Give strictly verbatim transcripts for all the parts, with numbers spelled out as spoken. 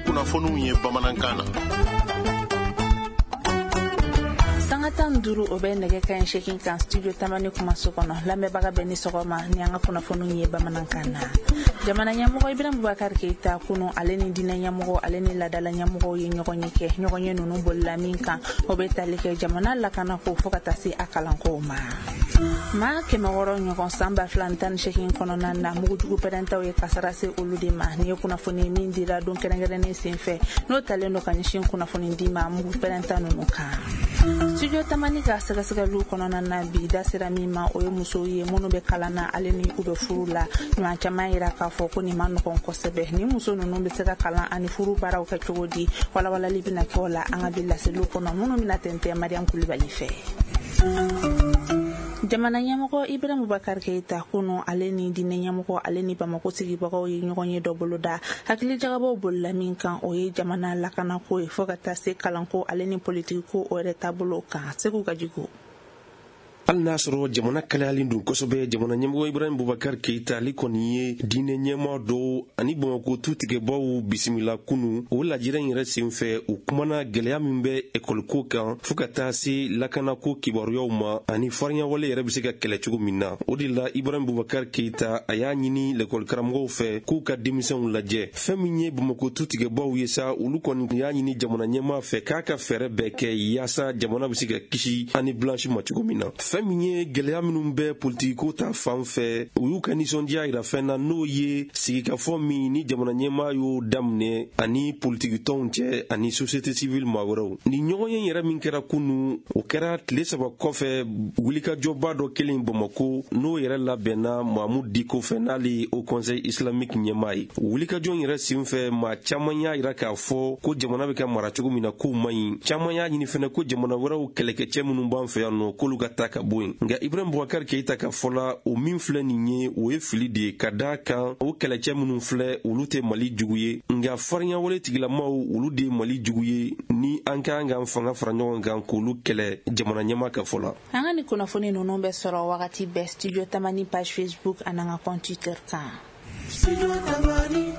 Kunnafoniw ye bamanankan na. Sanga tan duuru o bɛ nɛgɛ kanɲɛ seegin kan Studio Tamani kumaso kɔnɔ. Lamɛnbaga bɛ ni sɔgɔma ni an ka kunnafoniw ye bamanankan na. Jamana ɲɛmɔgɔ Ibrahim Boubacar Keita kunu ale ni diinɛ ɲɛmɔgɔ ale ni laadala ɲɛmɔgɔw ye ɲɔgɔn ye kɛ. Ɲɔgɔn ye ninnu bolila min kan, o bɛ tali kɛ jamana lakanako fo ka taa se a kalankow ma. Maa kɛmɛ wɔɔrɔ ɲɔgɔn san ba fila tan ni seegin kɔnɔna na, mugujugu pɛrɛntaw ye kasara se olu de ma. Nin ye kunnafoni min dira don kɛrɛnkɛrɛnnen senfɛ, n'o talen don ka ɲɛsin kunnafoni di ma mugu pɛrɛnta ninnu kan. Studio Tamani ka sɛgɛsɛgɛliw kɔnɔna na bi, da sera min ma, o ye musow ye minnu bɛ kalan na ale ni u bɛ furu la. Ɲuman caman yira k'a fɔ ko nin ma nɔgɔn kosɛbɛ. Ni muso ninnu bɛ se ka kalan ani furu baaraw kɛ cogo di, walawalali bɛna kɛ o la an ka bi laseliw kɔnɔ minnu bɛna tɛntɛn Mariam Kulibali fɛ. Jamana ɲɛmɔgɔ Ibrahim Boubacar Keita kunu ale ni diinɛ ɲɛmɔgɔ ale ni Bamako sigibagaw ye ɲɔgɔn ye dɔ boloda. Hakilijagabɔw bolila min kan, o ye jamana lakanako ye fo ka taa se kalanko ale ni politikiko o yɛrɛ taabolo kan. Segu Gajigo. Hali n'a sɔrɔ jamana kalayalen don kosɛbɛ, jamana ɲɛmɔgɔ Ibrahim Boubacar Keita ale kɔni ye diinɛ ɲɛmaa dɔw ani Bamako tutigɛbaw bisimila kunu. O lajɛrɛ in yɛrɛ senfɛ, u kumana gɛlɛya min bɛ ekɔliko kan fo ka taa se lakanako kibaruyaw ma ani farinyawale yɛrɛ bɛ se ka kɛlɛ cogo min na. O de la Ibrahim Boubacar Keita a y'a ɲini lekɔlikaramɔgɔw fɛ k'u ka denmisɛnw lajɛ. Fɛn min ye Bamako tutigɛbaw ye sa, olu kɔni y'a ɲini jamana ɲɛmaa fɛ k'a ka fɛɛrɛ bɛɛ kɛ yaasa jamana bɛ se ka kisi ani blanche ma cogo min na. Fɛn min ye gɛlɛya minnu bɛ politikiko ta fan fɛ, u y'u ka nisɔndiya yira fɛn na, n'o ye sigikafɔ min ni jamana ɲɛmaa y'o daminɛ ani politikitɔnw cɛ ani société civile maa wɛrɛw. Ni ɲɔgɔn ye yɛrɛ min kɛra kunu, o kɛra tile saba kɔfɛ wulikajɔba dɔ kelen Bamako, n'o yɛrɛ labɛnna Mahmoud Dicko fɛ, n'ale ye Haut Conseil islamique ɲɛmaa ye. Wulikajɔ yɛrɛ senfɛ, maa caman y'a yira k'a fɔ ko jamana bɛ ka mara cogo min na k'o man ɲi. Caman y'a ɲini fɛnɛ ko jamana wɛrɛw kɛlɛkɛcɛ minnu b'an fɛ yan nɔ, k'olu ka taa ka bɔ yen. Nka Ibrahim Boubacar Keita ka fɔ la, o min filɛ nin ye, o ye fili de ye, ka d'a kan o kɛlɛcɛ minnu filɛ, olu tɛ Mali jugu ye, nka farinyawale tigilamaw olu de ye Mali jugu ye, ni an ka kan k'an fanga fara ɲɔgɔn kan k'olu kɛlɛ, jamana ɲɛmaa ka fɔ la. An ka nin kunnafoni ninnu bɛ sɔrɔ wagati bɛɛ Studio Tamani page Facebook ani an ka compte Twitter kan.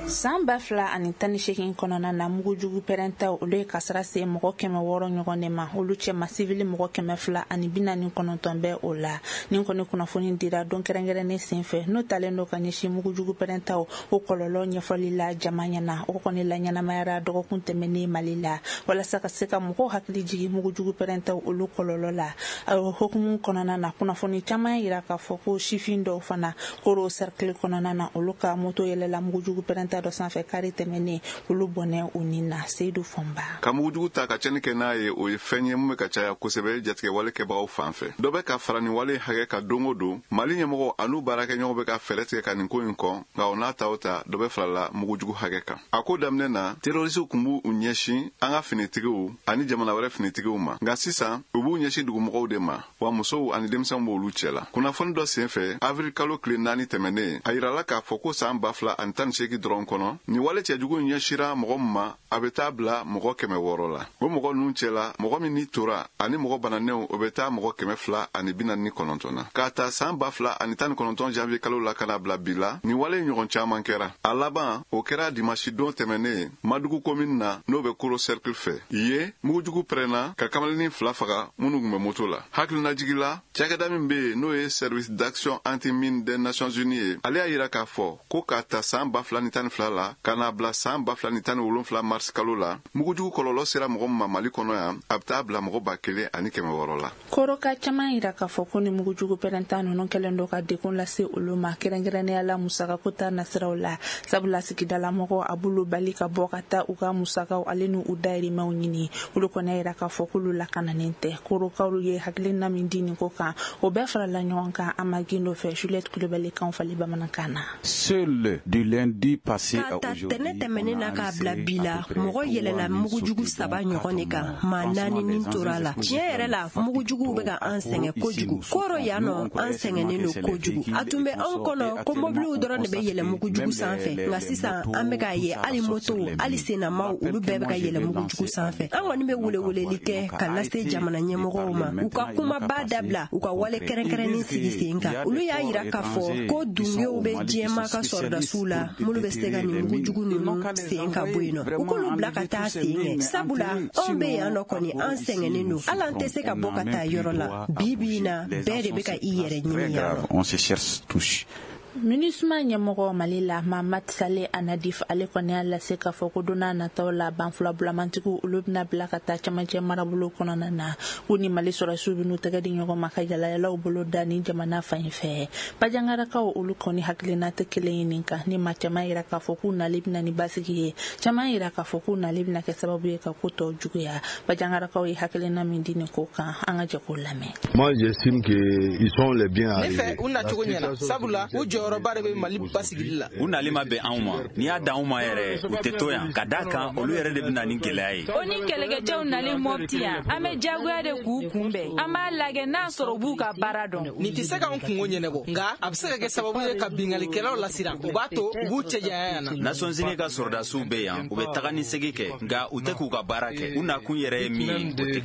San ba fila ani tan ni seegin kɔnɔna na, mugujugu pɛrɛntaw olu ye kasara se mɔgɔ kɛmɛ wɔɔrɔ ɲɔgɔn de ma. Olu cɛma sivili mɔgɔ kɛmɛ fila ani bi naani kɔnɔntɔn bɛ o la. Nin kɔni kunnafoni dira don kɛrɛnkɛrɛnnen senfɛ, n'o talen don ka ɲɛsin mugujugu pɛrɛntaw o kɔlɔlɔ ɲɛfɔli la jama ɲɛna. O kɔni la ɲɛnamayara dɔgɔkun tɛmɛnen Mali la, walasa ka se ka mɔgɔw hakili jigin mugujugu pɛrɛntaw olu kɔlɔlɔ la. O hukumu kɔnɔna na, kunnafoni caman yira k'a fɔ ko sifin dɔw fana Koro cercle kɔnɔna na, olu ka moto yɛlɛla mugujugu pɛrɛnta dɔ sanfɛ kari tɛmɛnen, olu bɔnɛ u ni na. Seydou Fɔnba. Ka mugujugu ta ka tiɲɛni kɛ n'a ye, o ye fɛn ye mun bɛ ka caya kosɛbɛ jatigɛwale kɛbagaw fan fɛ. Dɔ bɛ ka fara nin wale hakɛ ka don o don. Mali ɲɛmɔgɔ an'u baarakɛɲɔgɔnw bɛ ka fɛɛrɛ tigɛ ka nin ko in kɔn, nka o n'a ta o ta, dɔ bɛ farala mugujugu hakɛ kan. A ko daminɛ na, terrorisiw tun b'u ɲɛsin an ka finitigiw ani jamana wɛrɛ finitigiw ma, nka sisan u b'u ɲɛsin dugumɔgɔw de ma, wa musow ani denmisɛnw b'olu cɛ la. Kunnafoni dɔ senfɛ, avril kalo tile naani tɛmɛnen, a yirala k'a fɔ ko san ba fila ani tan ni seegin dɔrɔn kɔnɔ, nin wale cɛjugu in ɲɛsira mɔgɔ min ma, a bɛ taa bila mɔgɔ kɛmɛ wɔɔrɔ la. O mɔgɔ ninnu cɛ la, mɔgɔ min ni tora ani mɔgɔ bananenw, o bɛ taa mɔgɔ kɛmɛ fila ani bi naani ni kɔnɔntɔn na. K'a ta san ba fila ani tan ni kɔnɔntɔn janvier kalo la ka na bila bi la, nin wale ɲɔgɔn caman kɛra. A laban, o kɛra dimasi don tɛmɛnen Madugu commune na, n'o bɛ Koro cercle fɛ. Yen, mugujugu pɛrɛnna ka kamalennin fila faga minnu tun bɛ moto la. Hakilinajigi la, cakɛda min bɛ yen n'o ye Service d'action anti-mine des Nations Unies ye, ale y'a yira k'a fɔ ko k'a ta san ba fila ni tan ni fila la ka n'a bila san ba fila ni tan ni wolonfila mars kalo la, mugujugu kɔlɔlɔ sera mɔgɔ min ma Mali kɔnɔ yan, a bɛ taa bila mɔgɔ ba kelen ani kɛmɛ wɔɔrɔ la. Koroka caman yira k'a fɔ ko ni mugujugu pɛrɛnta ninnu kɛlen don ka degun lase olu ma, kɛrɛnkɛrɛnnenya la musakako ta nasiraw la, sabula sigidalamɔgɔw a b'olu bali ka bɔ ka taa u ka musakaw ale n'u dayirimɛw ɲini. Olu kɔni yira k'a fɔ k'olu lakananen tɛ. Korokaw ye hakilina min di nin ko kan, o bɛɛ farala ɲɔgɔn kan Ama Gindo fɛ. Juliette Kulibali kan fali bamanankan na. Seul du lundi passé à aujourd'hui, tɛnɛ tɛmɛnen na k'a bila bi la, mɔgɔ yɛlɛla mugujugu saba ɲɔgɔn de kan, maa naani nin tora la. Tiɲɛ yɛrɛ la, mugujuguw bɛ ka an sɛgɛn kojugu. Koro yan nɔ, an sɛgɛnnen don kojugu. A tun bɛ anw kɔnɔ ko mobiliw dɔrɔn de bɛ yɛlɛ mugujugu sanfɛ, nka sisan an bɛ k'a ye hali motow, hali sennamaw, olu bɛɛ bɛ ka yɛlɛ mugujugu sanfɛ. An kɔni bɛ weleweleli kɛ ka lase jamana ɲɛmɔgɔw ma, u ka kumaba dabila, u ka wale kɛrɛnkɛrɛnnen sigi sen kan. Olu y'a yira k'a fɔ ko dungew bɛ diɲɛmaa ka sɔrɔdasiw la minnu bɛ se ka nin mugujugu ninnu sen ka bɔ yen nɔ, u k'olu bila ka taa sen kɛ, sabula anw bɛ yan nɔ kɔni, an sɛgɛnnen don, hali an tɛ se ka bɔ ka taa yɔrɔ la. Bi bi in na, bɛɛ de bɛ ka i yɛrɛ ɲini yan nɔ. On se cherche tous. MINUSMA ɲɛmɔgɔ Mali la, Mahamat Saleh Annadif, ale kɔni y'a lase k'a fɔ ko don n'a nataw la, banfula bulamantigiw olu bɛna bila ka taa camancɛ marabolo kɔnɔna na, k'u ni Mali sɔrɔdasiw bɛn'u tɛgɛ di ɲɔgɔn ma ka yalayalaw bolo da ni jamana fan fɛ. Bajangarakaw olu kɔni hakilina tɛ kelen ye nin kan, ni maa caman yira k'a fɔ k'u nali bɛna ni basigi ye, caman yira k'a fɔ k'u nali bɛna kɛ sababu ye ka ko tɔ juguya. Bajangarakaw ye hakilina min di nin ko kan, an ka jɛ k'o lamɛn. Moi, j'estime que ils sont les biens arrivés. Ne fɛ u nacogo ɲɛna, sabula u jɔyɔrɔba de bɛ Mali basigili la. U nali ma bɛn anw ma, n'i y'a dan anw ma yɛrɛ, u tɛ to yan, ka d'a kan olu yɛrɛ de bɛ na ni gɛlɛya ye. O ni kɛlɛkɛcɛw nalen Mɔpti yan, an bɛ diyagoya de k'u kunbɛn, an b'a lajɛ n'a sɔrɔ u b'u ka baara dɔn. Nin tɛ se k'anw kungo ɲɛnabɔ, nka a bɛ se ka kɛ sababu ye ka binkannikɛlaw lasiran, o b'a to u b'u cɛjanya yan na. Nations Unies ka sɔrɔdasiw bɛ yan, u bɛ taga ni segin kɛ, nka u tɛ k'u ka baara kɛ. U nakun yɛrɛ ye min ye, o tɛ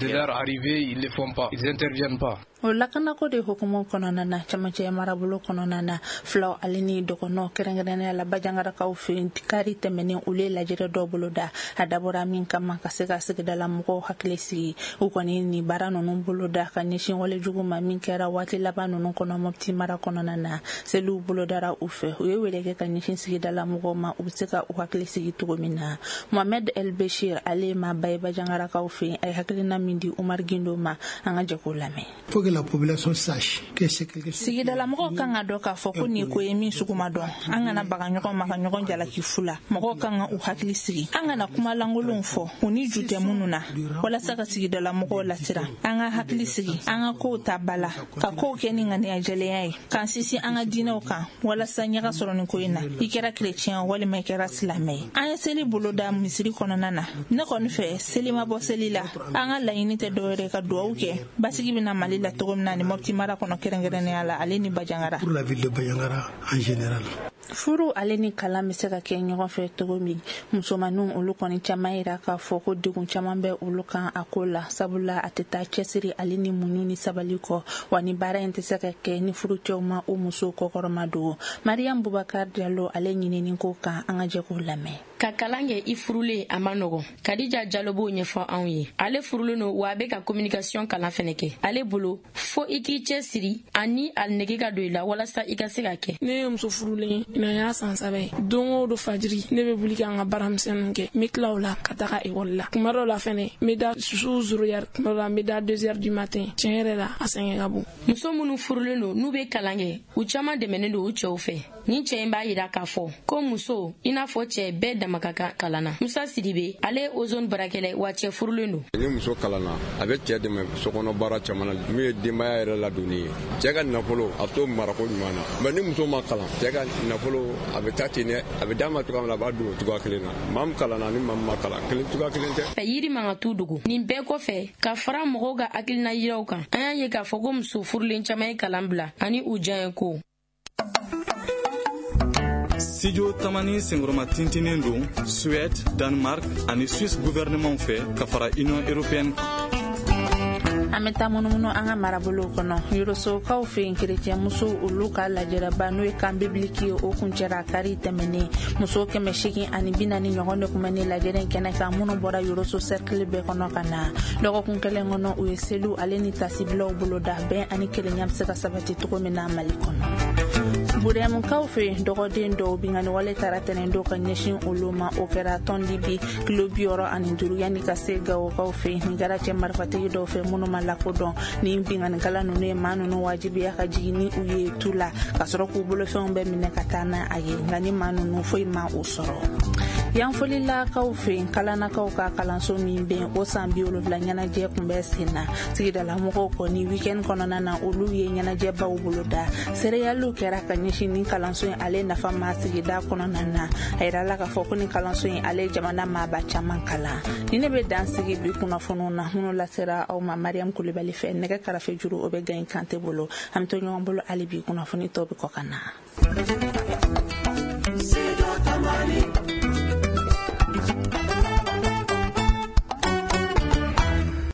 kɛ. O lakanako de hukumu kɔnɔna na, camancɛ marabolo kɔnɔna na, filaw ale ni dɔgɔnɔ, kɛrɛnkɛrɛnnenya la Bajangarakaw fɛ, kari tɛmɛnen olu ye lajɛrɛ dɔw bolo da, a dabɔra min kama ka se ka sigidala mɔgɔw hakili sigi. U kɔni ni baara ninnu bolo da ka ɲɛsin walejugu ma min kɛra waati laban ninnu kɔnɔ Mɔpti mara kɔnɔna na. Seliw bolodara u fɛ, u ye wele kɛ ka ɲɛsin sigidala mɔgɔw ma, u bɛ se ka u hakili sigi cogo min na. Mohamed El Bechir, ale ye maaba ye Bajangarakaw fɛ, a ye hakilina min di Umar Gindo ma, an ka jɛ k'o lamɛn. Que la population sache que c'est quelque chose. Sigidalamɔgɔw kan ka dɔn k'a fɔ ko nin ko ye min sugu ma dɔn. An kana baga ɲɔgɔn ma ka ɲɔgɔn jalaki fu la. Mɔgɔw kan ka u hakili sigi. An kana kuma lankolonw fɔ u ni ju tɛ minnu na, walasa ka sigidalamɔgɔw lasiran. An ka hakili sigi, an ka kow ta ba la, ka kow kɛ ni ŋaniya jɛlenya ye, k'an sinsin an ka diinɛw kan walasa ɲaga sɔrɔ nin ko in na. I kɛra kerecɛn walima i kɛra silamɛ ye. An ye seli bolo da misiri kɔnɔna na. Ne kɔni fɛ, seli ma bɔ seli la. An ka laɲini tɛ dɔwɛrɛ ka duwawu kɛ basigi bɛna Mali la cogo min na ni Mɔpti mara kɔnɔ, kɛrɛnkɛrɛnnenya la ale ni Bajangara. Pour la ville de Bandiagara en général. Furu ale ni kalan bɛ se ka kɛ ɲɔgɔn fɛ cogo min, musomaninw olu kɔni caman yira k'a fɔ ko degun caman bɛ olu kan a ko la, sabula a tɛ taa cɛsiri ale ni muɲu ni sabali kɔ, wa ni baara in tɛ se ka kɛ ni furucɛw ma o musow kɔkɔrɔma don. Mariam Bubakar Diallo, ale ɲinini ko kan, an ka jɛ k'o lamɛn. Ka kalan kɛ i furulen a ma nɔgɔn. Kadija Jalo b'o ɲɛfɔ anw ye. Ale furulen don, wa a bɛ ka communication kalan fɛnɛ kɛ. Ale bolo fo i k'i cɛ siri ani a nege ka don i la walasa i ka se ka kɛ. Ne ye muso furulen ye, nin y'a san saba ye. Don o don fajiri, ne bɛ wuli ka n ka baaramisɛnninw kɛ, n bɛ tila o la ka taga ekɔli la. Kuma dɔw la fɛnɛ, n bɛ da su zéro heure, kuma dɔw la n bɛ da deux heures du matin. Tiɲɛ yɛrɛ la, a sɛgɛn ka bon. Muso minnu furulen don n'u bɛ kalan kɛ, u caman dɛmɛnen don u cɛw fɛ. Nin cɛ in b'a yira k'a fɔ ko muso i n'a fɔ cɛ bɛɛ dama ka kan kalan na. Musa Sidibe, ale ye ozone baarakɛla ye, wa cɛ furulen don. Ni muso kalanna, a bɛ cɛ dɛmɛ sokɔnɔ baara caman na, min ye denbaya yɛrɛ ladonni ye. Cɛ ka nafolo, a t'o marako ɲuman na. Mais ni muso ma kalan, cɛ ka nafolo a bɛ taa ten dɛ, a bɛ d'a ma cogoya min na, a b'a dun o cogoya kelen na. Maa min kalanna ni maa min ma kalan, kelen cogoya kelen tɛ. Fɛ yiri man ka t'u dogo. Nin bɛɛ kɔfɛ, ka fara mɔgɔw ka hakilina yiraw kan, an y'a ye k'a fɔ ko muso furulen caman ye kalan bila ani u diya ye ko. Studio Tamani senkɔrɔma tintinen don Suède, Danemark ani Suisse gouvernement fɛ ka fara Union européenne kan. An bɛ taa munumunu an ka marabolow kɔnɔ. Yorosokaw fɛ yen, kerecɛn musow olu ka lajɛrɛba n'o ye camp biblique ye, o kuncɛra kari tɛmɛnen. Muso kɛmɛ seegin ani bi naani ɲɔgɔn de tun bɛ nin lajɛrɛ in kɛnɛ kan, minnu bɔra Yoroso cercle bɛɛ kɔnɔ ka na. Dɔgɔkun kelen kɔnɔ, u ye seliw ale ni tasibilaw boloda, bɛn ani kelenya bɛ se ka sabati cogo min na Mali kɔnɔ. Burɛmukaw fɛ yen, dɔgɔden dɔw binkanni wale taara tɛnɛn dɔw ka ɲɛsin olu ma, o kɛra tɔndi bi kilo bi wɔɔrɔ ani duuru yanni ka se Gawokaw fɛ yen. Nin kɛra cɛ marifatigi dɔw fɛ minnu ma lakodɔn. Ni binkannikɛla ninnu ye maa ninnu wajibiya ka jigin ni u ye tu la, ka sɔrɔ k'u bolofɛnw bɛɛ minɛ ka taa n'a ye, nka ni maa ninnu foyi ma o sɔrɔ. Yanfolilakaw fɛ yen, kalanakaw ka kalanso min bɛ yen, o san bi wolonwula ɲɛnajɛ tun bɛ sen na. Sigidalamɔgɔw kɔni weekend kɔnɔna na, olu ye ɲɛnajɛbaw boloda. Seereyaliw kɛra ka ɲɛsin ni kalanso in ale nafa ma sigida kɔnɔna na. A yirala k'a fɔ ko ni kalanso in ale jamana maaba caman kalan. Ni ne bɛ dan sigi bi kunnafoniw na minnu lasera aw ma Mariam Kulibali fɛ, nɛgɛ karafe juru o bɛ Gaye Kante bolo. An bɛ to ɲɔgɔn bolo hali bi, kunnafoni tɔw bɛ kɔ ka na.